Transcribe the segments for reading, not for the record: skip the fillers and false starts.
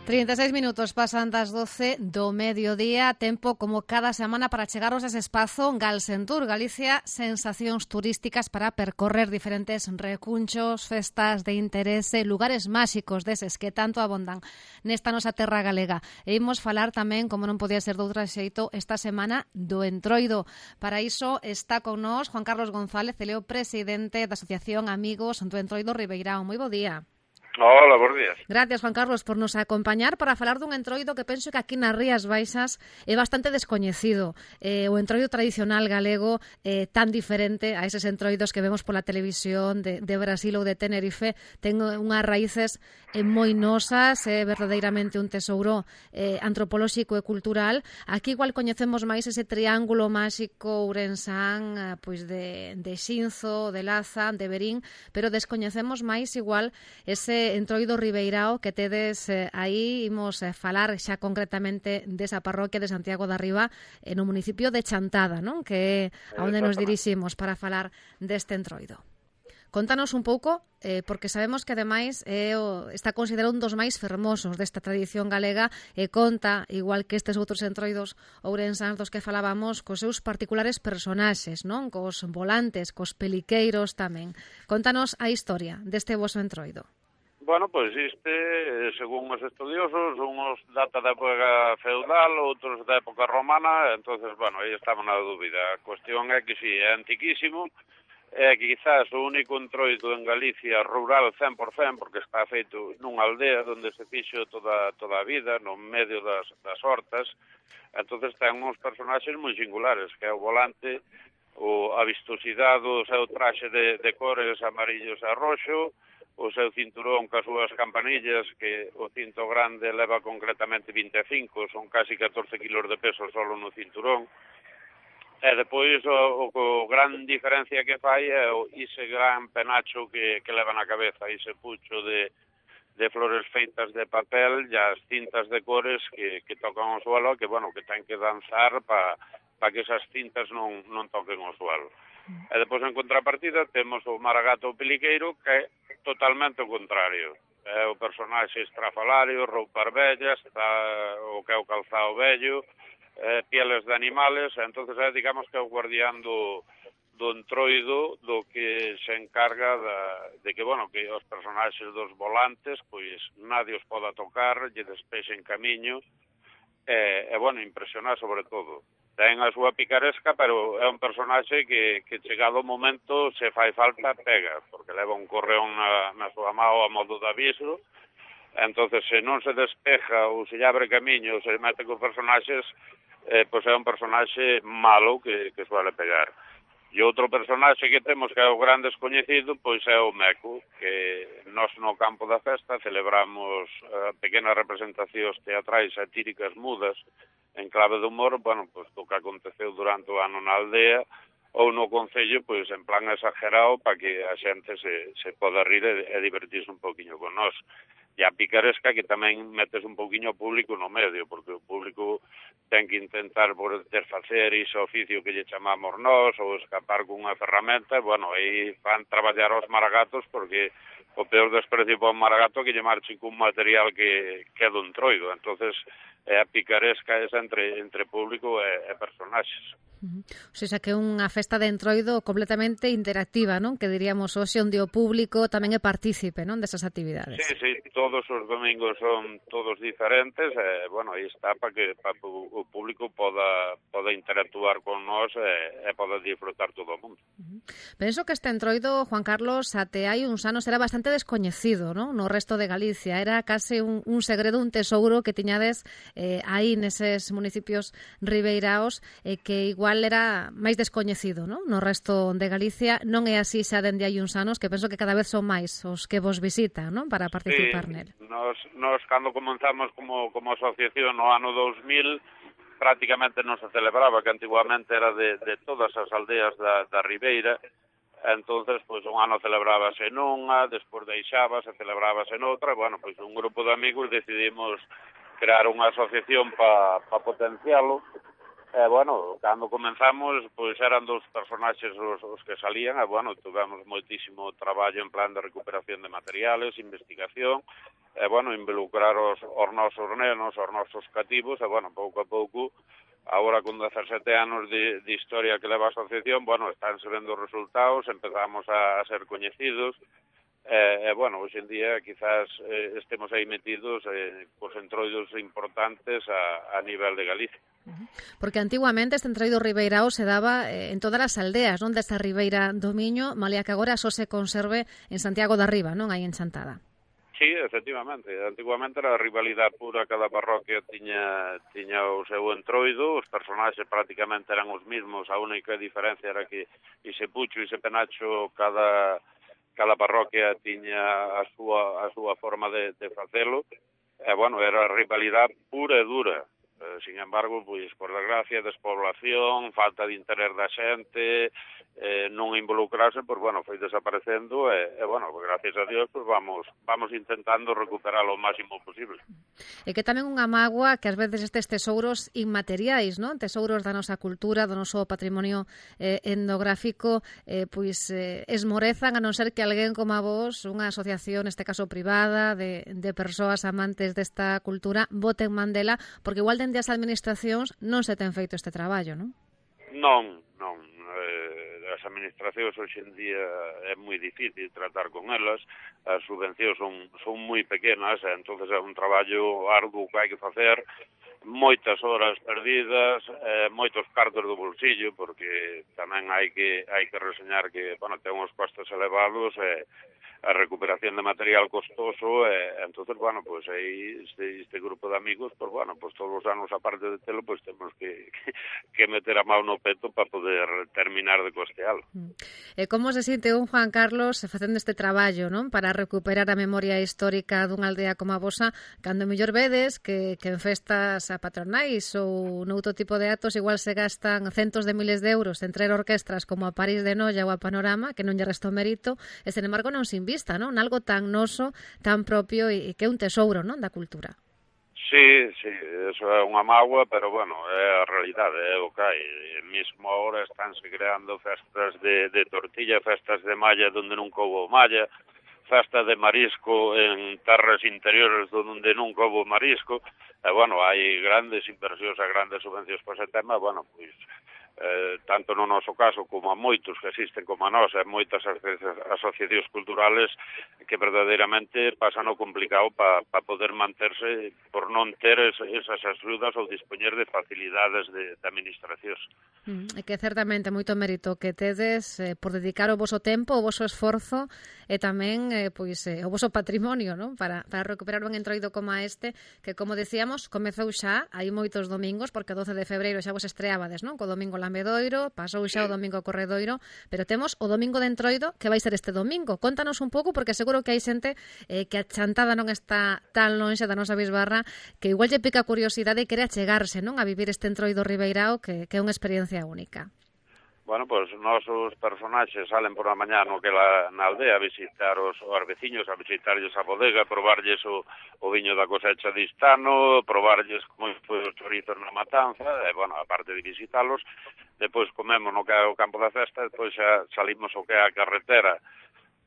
36 minutos pasan das 12 do mediodía, tempo como cada semana para chegaros a ese espazo Galsentur, Galicia, sensacións turísticas para percorrer diferentes recunchos, festas de interese, lugares máxicos deses que tanto abondan nesta nosa terra galega. E imos falar tamén, como non podía ser de outra xeito, esta semana do Entroido. Para iso está con nós Juan Carlos González, ele é o presidente da Asociación Amigos do Entroido Ribeirão. Moi bo día. Hola, bons días. Gracias, Juan Carlos, por nos acompañar para falar dun entroido que penso que aquí nas Rías Baixas é bastante descoñecido. O entroido tradicional galego tan diferente a eses entroidos que vemos pola televisión de Brasil ou de Tenerife, ten unhas raíces moi nosas, é verdadeiramente un tesouro antropolóxico e cultural. Aquí igual coñecemos máis ese triángulo máxico ourensán, pois de Xinzo, de Laza, de Verín, pero descoñecemos máis igual ese entroido ribeirao que tedes aí. Imos falar xa concretamente desa parroquia de Santiago da Riba no municipio de Chantada, non? Que é a onde nos diriximos para falar deste entroido. Contanos un pouco, porque sabemos que ademais está considerado un dos máis fermosos desta tradición galega e conta, igual que estes outros entroidos ourensáns dos que falábamos, cos seus particulares personaxes, non? Cos volantes, cos peliqueiros tamén. Contanos a historia deste voso entroido. Bueno, pois según os estudiosos, uns data da época feudal, outros da época romana, entonces, bueno, aí estamos na dúbida. A cuestión é que si é antiquísimo, é quizás o único entroido en Galicia rural 100%, porque está feito nunha aldea onde se fixo toda a vida, no medio das hortas, entonces ten uns personaxes moi singulares, que é o volante, a vistosidade, o seu traxe de cores amarillos e roxo, o seu cinturón cas súas campanillas, que o cinto grande leva concretamente 25, son casi 14 kilos de peso solo no cinturón. E depois o gran diferencia que fai é ese gran penacho que leva na cabeza, ese pucho de flores feitas de papel e as cintas de cores que tocan o suelo, que, bueno, que ten que danzar para que esas cintas non toquen o suelo. E depois, en contrapartida, temos o maragato peliqueiro, que é totalmente o contrario. É o personaxe estrafalario, roupas vellas, o que é o calzado vello, pieles de animales, entonces é, digamos, que é o guardián do entroido, do que se encarga de que, bueno, que os personaxes dos volantes, pois nadie os poda tocar, lle despexen camiño, e, bueno, impresionar sobre todo. Ten a súa picaresca, pero é un personaxe que chegado o momento, se fai falta, pega, porque leva un correón na súa mao a modo de aviso, entonces se non se despeja ou se lle abre camiño ou se mete cos personaxes, pois é un personaxe malo que suele pegar. E outro personaxe que temos que é o gran descoñecido, pois é o Meco, que nós no campo da festa celebramos pequenas representacións teatrais satíricas mudas en clave de humor, bueno, pois do que aconteceu durante o ano na aldea ou no concello, pois en plan exagerado para que a xente se poda rir e divertirse un poquinho con nós. E a picaresca que tamén metes un poquinho o público no medio, porque o público ten que intentar poder facer ese oficio que lle chamamos nós, ou escapar con unha ferramenta, bueno, aí van traballar os maragatos, porque o peor desprecio para un maragato que lle marchen cun material que é do entroido, entonces é a picaresca esa entre público e personaxes. O sea, que é unha festa de entroido completamente interactiva, non? Que diríamos hoxe onde o público tamén é partícipe, non, desas actividades. Sí, todos os domingos son todos diferentes, bueno, aí está para que o público poda interactuar con nós e poda disfrutar todo o mundo. Penso que este entroido, Juan Carlos, até hai uns anos era bastante descoñecido, non? No resto de Galicia, era case un segredo, un tesouro que tiñades aí neses municipios ribeiraos, que igual era máis descoñecido, non? No resto de Galicia. Non é así xa dende hai uns anos, que penso que cada vez son máis os que vos visitan, non? Para participar nel. Nos cando comenzamos como asociación no ano 2000, prácticamente non se celebraba, que antiguamente era de todas as aldeas da Ribeira. Entonces, pois un ano celebrábase nunha, despois deixábase, celebrábase noutra, bueno, pois un grupo de amigos decidimos crear unha asociación para potencialo. Bueno, cando comenzamos, pois eran dos personaxes os que salían, bueno, tivemos moitísimo traballo en plan de recuperación de materiales, investigación, involucrar os nosos nenos, os nosos cativos, e, pouco a pouco, agora con 17 anos de historia que leva a asociación, estánse vendo os resultados, empezamos a ser coñecidos, hoxe en día quizás estemos aí metidos cos entroidos importantes a nivel de Galicia. Porque antiguamente este entroido ribeirao se daba en todas as aldeas, non, desta ribeira do Miño, malia que agora só se conserve en Santiago da Riba, non, aí en Chantada. Sí, efectivamente. Antiguamente era a rivalidade pura, cada parroquia tiña o seu entroido, os personaxes prácticamente eran os mismos, a única diferencia era que ise Pucho e ise Penacho cada parroquia tiña a súa forma de facelo, era a rivalidade pura e dura. Sin embargo, pois, por desgracia, despoblación, falta de interés da xente, non involucrarse, foi desaparecendo gracias a Dios, vamos intentando recuperar o máximo posible. E que tamén unha mágoa que ás veces estes tesouros inmateriais, non? Tesouros da nosa cultura, do noso patrimonio etnográfico, esmorezan, a non ser que alguén como a vos, unha asociación, neste caso privada, de persoas amantes desta cultura, boten mandela, porque igual dende as administracións non se ten feito este traballo, non? Non. As administracións hoxe en día é moi difícil tratar con elas, as subvencións son moi pequenas, entonces é un traballo arduo que hai que facer, moitas horas perdidas, moitos cartos do bolsillo, porque tamén hai que reseñar que, ten uns costes elevados, a recuperación de material costoso, entonces, aí este grupo de amigos, todos os anos, aparte de telo, temos que meter a mão no peto para poder terminar de costealo. E como se sinte un Juan Carlos facendo este traballo, non? Para recuperar a memoria histórica dunha aldea como a vosa, cando mellor vedes que en festas a patronais ou noutro tipo de actos igual se gastan centos de miles de euros entre orquestras como a París de Noia ou a Panorama, que non lle restou mérito, e, sen embargo, non se invista, non? Algo tan noso, tan propio e que é un tesouro, non, da cultura. Sí, eso é unha mágoa, pero, é a realidade, é o que hai. Mesmo agora estánse creando festas de tortilla, festas de malla donde nunca houve malla, festa de marisco en terras interiores donde nunca houve marisco, hai grandes inversións e grandes subvencións por ese tema, tanto no noso caso como a moitos que existen como a nós, moitas asociacións culturales que verdadeiramente pasan o complicado para poder manterse por non ter esas axudas ou dispoñer de facilidades de administracións. É que certamente moito mérito que tedes por dedicar o voso tempo, o voso esforzo e tamén o voso patrimonio, non? Para recuperar un entroido como este, que, como decíamos, comezou xa, hai moitos domingos, porque o 12 de febreiro xa vos estreabades, non? Co domingo Lambedoiro, pasou xa o domingo Corredoiro, pero temos o domingo de Entroido, que vai ser este domingo. Contanos un pouco, porque seguro que hai xente que a Chantada non está tan lonxe da nosa bisbarra, que igual lle pica a curiosidade e quere achegarse, non, a vivir este Entroido ribeirao, que é unha experiencia única. Os nosos personaxes salen por a mañá na aldea a visitar os veciños, a visitarlles a bodega, probarlles o viño da cosecha de Istano, probarlles como foi os chorizos na matanza, aparte de visitalos, depois comemos no que é o campo da festa, depois xa salimos o que é a carretera,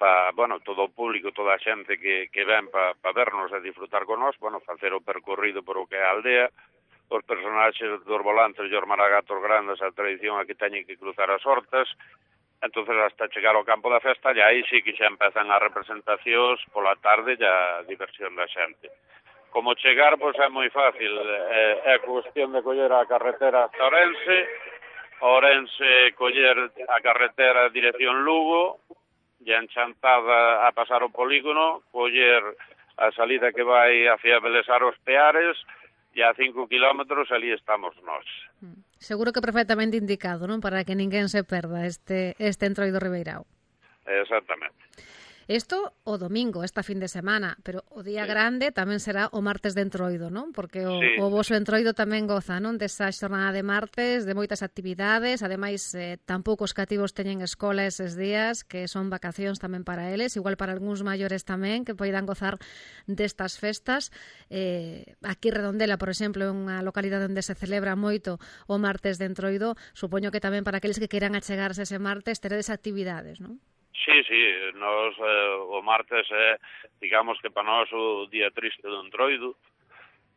para, todo o público, toda a xente que ven para vernos e disfrutar con nós, facer o percorrido por o que é a aldea, os personaxes dos volantes e os maragatos grandes, a tradición a que teñen que cruzar as hortas, entonces hasta chegar ao campo da festa, e aí sí que xa empezan as representacións pola tarde e a diversión da xente. Como chegar, é moi fácil, é cuestión de coller a carretera hasta Ourense, coller a carretera dirección Lugo, e en Chantada a pasar o polígono, coller a salida que vai hacia Belesar os Peares, e a 5 kilómetros ali estamos nós. Seguro que perfectamente indicado, non? Para que ninguén se perda este entroido ribeirao. Exactamente. Isto o domingo, esta fin de semana, pero o día grande tamén será o martes de entroido, non? Porque o voso entroido tamén goza, non? Desa xornada de martes, de moitas actividades, ademais tampouco os cativos teñen escola eses días, que son vacacións tamén para eles, igual para algúns maiores tamén, que poidan gozar destas festas. Aquí Redondela, por exemplo, é unha localidade onde se celebra moito o martes de entroido, supoño que tamén para aqueles que queiran achegarse ese martes teredes actividades, non? Sí, nos o martes é, digamos que para nós o día triste do Entroido,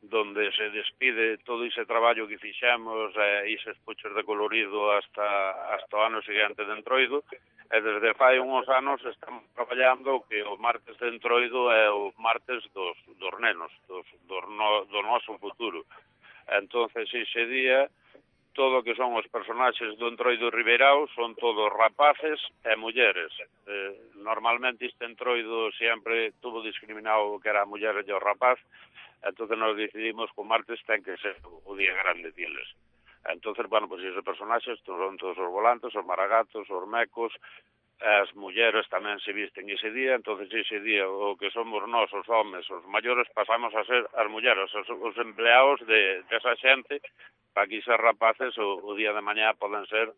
donde se despide todo ese traballo que fixemos e ises puchos de colorido hasta o ano seguinte de Entroido, e desde fai uns anos estamos traballando que o martes de Entroido é o martes dos nenos, do noso futuro. Entonces, ese día, todo o que son os personaxes do Entroido Ribeirao son todos rapaces e mulleres. Normalmente este Entroido sempre tuvo discriminado o que era a muller e o rapaz, entonces nos decidimos que o martes ten que ser o día grande deles. Entonces, bueno, pues esos personaxes son todos os volantes, os maragatos, os mecos, as mulleres tamén se visten ese día, entonces ese día o que somos nós, os homes, os maiores, pasamos a ser as mulleres, os empleados desa xente, para que esos rapaces o día de mañá poden ser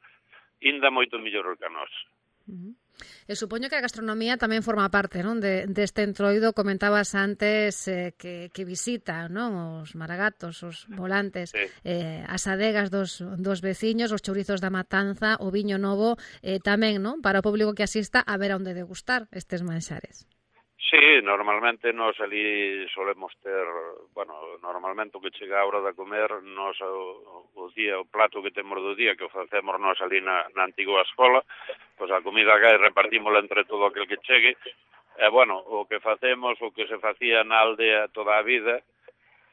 ainda moito mellor que a nós. E supoño que a gastronomía tamén forma parte, non, deste Entroido. Comentabas antes que visita, non, os maragatos, os volantes, Sí. as adegas dos veciños, os chourizos da Matanza, o viño novo, tamén, non, para o público que asista a ver onde degustar estes manxares. Sí, normalmente nos ali solemos ter, bueno, normalmente o que chega a hora de comer, nos o día, o plato que temos do día, que o facemos nos ali na antigua escola, pois a comida que repartímola entre todo aquel que chegue, e, bueno, o que facemos, o que se facía na aldea toda a vida,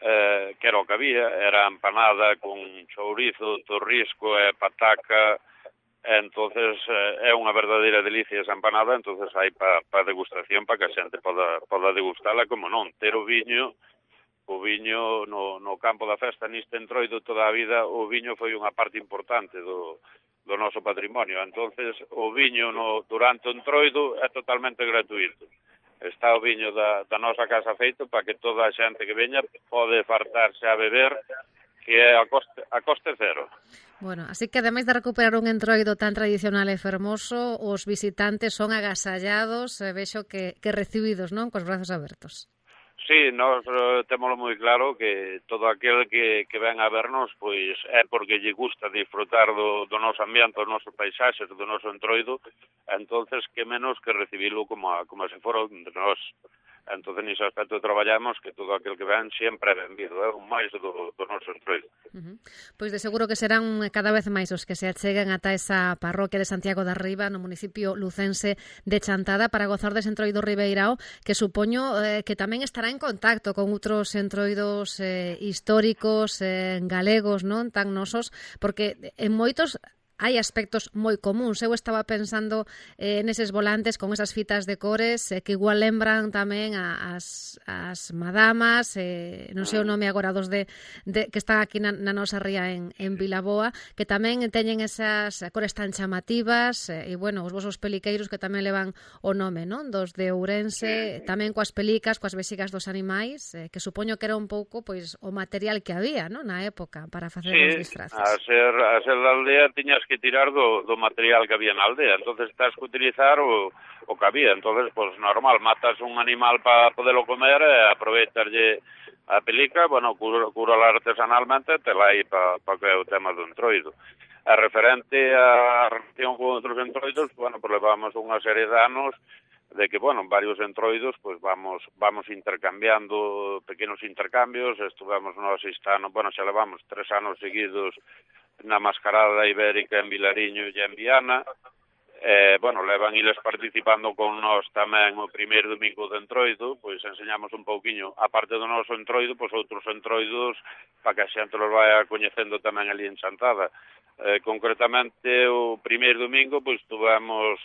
que era o que había, era empanada con chourizo, torrisco e pataca. Entonces é unha verdadeira delicia esa empanada, entonces hai para degustación, para que a xente poda degustala, como non, ter o viño no campo da festa neste Entroido toda a vida, o viño foi unha parte importante do noso patrimonio, entonces o viño durante o Entroido é totalmente gratuito. Está o viño da nosa casa feito para que toda a xente que veña pode fartarse a beber, que é a coste cero. Bueno, así que ademais de recuperar un Entroido tan tradicional e fermoso, os visitantes son agasallados, vexo que recibidos, non, cos brazos abertos. Sí, nós témolo moi claro que todo aquel que ven a vernos pois é porque lle gusta disfrutar do noso ambiente, dos nosos paisaxes, do noso Entroido, entonces que menos que recibilo como se fora de nós. Entonces, nese aspecto traballamos que todo aquel que ven sempre é benvido, é un máis do noso Entroido. Pois de seguro que serán cada vez máis os que se acheguen ata esa parroquia de Santiago da Riba no municipio lucense de Chantada para gozar dese Entroido Ribeirao, que supoño que tamén estará en contacto con outros entroidos históricos galegos, non tan nosos, porque en moitos hai aspectos moi comuns. Eu estaba pensando neses volantes con esas fitas de cores que igual lembran tamén as madamas, non sei o nome agora dos que están aquí na nosa ría en Vilaboa, que tamén teñen esas cores tan chamativas, e, bueno, os vosos peliqueiros que tamén levan o nome, non? Dos de Ourense, tamén coas pelicas, coas vexigas dos animais, que supoño que era un pouco pois o material que había, non? Na época para facer os disfraces. A ser da aldea tiñas que tirar do material que había na aldea, entonces tens que utilizar o que había, entonces, pues normal, matas un animal para podelo comer e aproveitarlle a pelica, bueno, curala artesanalmente, te la hai para que é o tema do Entroido. A referente a relación con outros Entroidos, bueno, pues levamos unha serie de anos de que, bueno, varios Entroidos, pues vamos intercambiando pequenos intercambios, estuvemos nós bueno, xa levamos 3 anos seguidos na Mascarada Ibérica en Vilariño e en Viana, bueno, levan iles participando con nós tamén o primeiro domingo de Entroido, pois enseñamos un pouquiño, aparte do noso Entroido, pois outros Entroidos, para que a xente los vai coñecendo tamén ali en Chantada. Concretamente, o primeiro domingo, pois tuvemos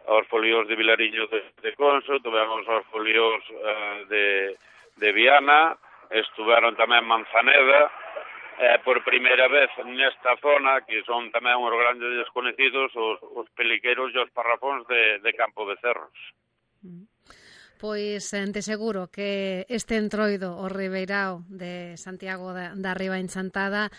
os folios de Vilariño de Conso, tuvemos os folios de Viana, estuveron tamén Manzaneda, por primeira vez nesta zona, que son tamén os grandes desconocidos, os peliqueiros e os parrafóns de Campo de Cerros. Pois de seguro que este entroido o Ribeirao de Santiago da Riba Enchantada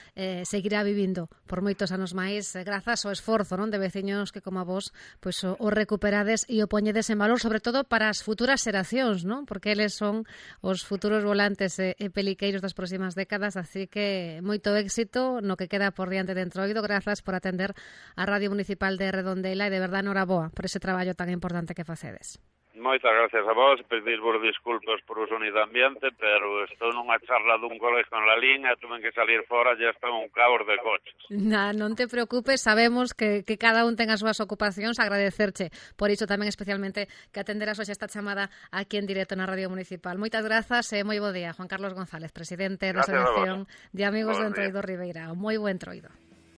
seguirá vivindo por moitos anos máis grazas ao esforzo, non, de veciños que como a vos pois o recuperades e o poñedes en valor, sobre todo para as futuras xeracións, non? Porque eles son os futuros volantes e peliqueiros das próximas décadas, así que moito éxito no que queda por diante de entroido. Grazas por atender a Radio Municipal de Redondela e de verdade noraboa por ese traballo tan importante que facedes. Moitas gracias a vos, pedirvos disculpas por o sonido ambiente, pero estou nunha charla dun colegio en la línea, tuve que salir fora, ya está un caos de coches. Non te preocupes, sabemos que cada un ten as súas ocupacións, agradecerche por iso tamén especialmente que atenderas hoxe esta chamada aquí en directo na Radio Municipal. Moitas grazas e moi bo día, Juan Carlos González, presidente da Asociación de Amigos do Entroido Ribeirao. Moi bo entroido.